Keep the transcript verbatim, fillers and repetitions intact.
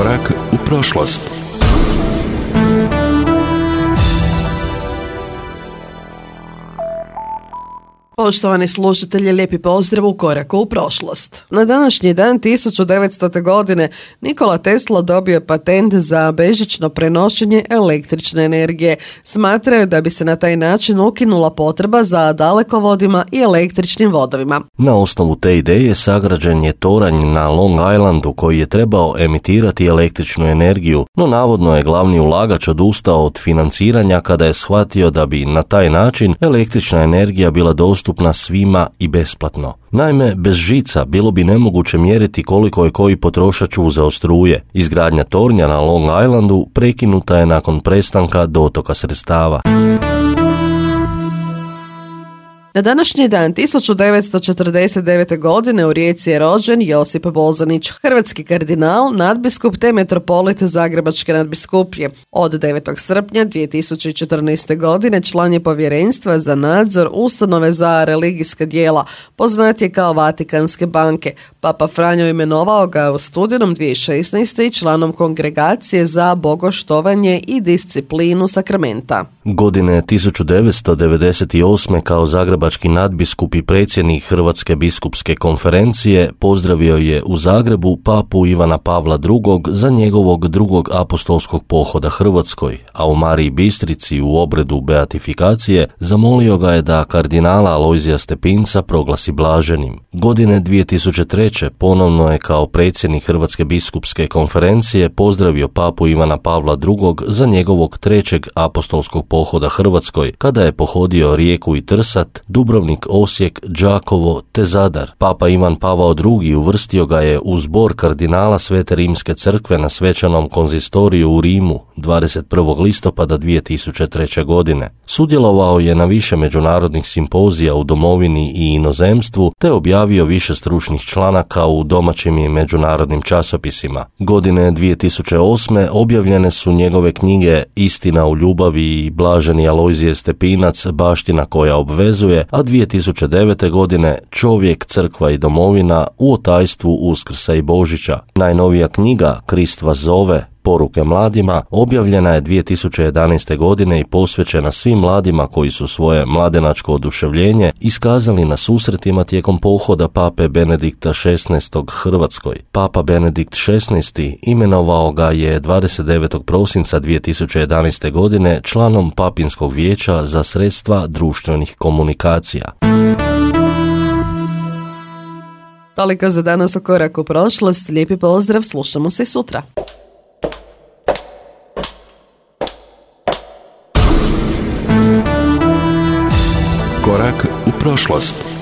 Korak u prošlost. Poštovani slušatelji, lijepi pozdrav u Koraku u prošlost. Na današnji dan tisuću devetstote. godine Nikola Tesla dobio patent za bežično prenošenje električne energije. Smatraju da bi se na taj način ukinula potreba za dalekovodima i električnim vodovima. Na osnovu te ideje sagrađen je toranj na Long Islandu koji je trebao emitirati električnu energiju, no navodno je glavni ulagač odustao od financiranja kada je shvatio da bi na taj način električna energija bila dostupna dostupna svima i besplatno. Naime, bez žica bilo bi nemoguće mjeriti koliko je koji potrošač uzeo struje. Izgradnja tornja na Long Islandu prekinuta je nakon prestanka dotoka sredstava. Na današnji dan tisuću devetsto četrdeset devete. godine u Rijeci je rođen Josip Bozanić, hrvatski kardinal, nadbiskup te metropolit Zagrebačke nadbiskupije. Od devetog srpnja dvije tisuće četrnaeste. godine član je povjerenstva za nadzor ustanove za religijska djela, poznatije kao Vatikanske banke. Papa Franjo imenovao ga u studenom dvije tisuće šesnaeste. i članom kongregacije za bogoštovanje i disciplinu sakramenta. Godine tisuću devetsto devedeset osme. kao zagrebački nadbiskup i predsjednik Hrvatske biskupske konferencije pozdravio je u Zagrebu papu Ivana Pavla drugog. za njegovog drugog apostolskog pohoda Hrvatskoj, a u Mariji Bistrici u obredu beatifikacije zamolio ga je da kardinala Alojzija Stepinca proglasi blaženim. Godine dvije tisuće treće. ponovno je kao predsjednik Hrvatske biskupske konferencije pozdravio papu Ivana Pavla drugog. za njegovog trećeg apostolskog pohoda Hrvatskoj, kada je pohodio Rijeku i Trsat, Dubrovnik, Osijek, Đakovo te Zadar. Papa Ivan Pavao drugi. uvrstio ga je u zbor kardinala Svete Rimske crkve na svečanom konzistoriju u Rimu dvadeset prvog listopada dvije tisuće treće. godine. Sudjelovao je na više međunarodnih simpozija u domovini i inozemstvu te objavio više stručnih članaka u domaćim i međunarodnim časopisima. Godine dvije tisuće osme. objavljene su njegove knjige Istina u ljubavi i Blaženi Alojzije Stepinac, baština koja obvezuje, a dvije tisuće devete. godine Čovjek, crkva i domovina u otajstvu Uskrsa i Božića. Najnovija knjiga Krist vas zove, Poruke mladima, objavljena je dvije tisuće jedanaeste. godine i posvećena svim mladima koji su svoje mladenačko oduševljenje iskazali na susretima tijekom pohoda pape Benedikta šesnaestog. Hrvatskoj. Papa Benedikt šesnaesti. imenovao ga je dvadeset devetog prosinca dvije tisuće jedanaeste. godine članom Papinskog vijeća za sredstva društvenih komunikacija. Toliko za danas u Koraku u prošlost. Lijepi pozdrav, slušamo se sutra. Korak u prošlost.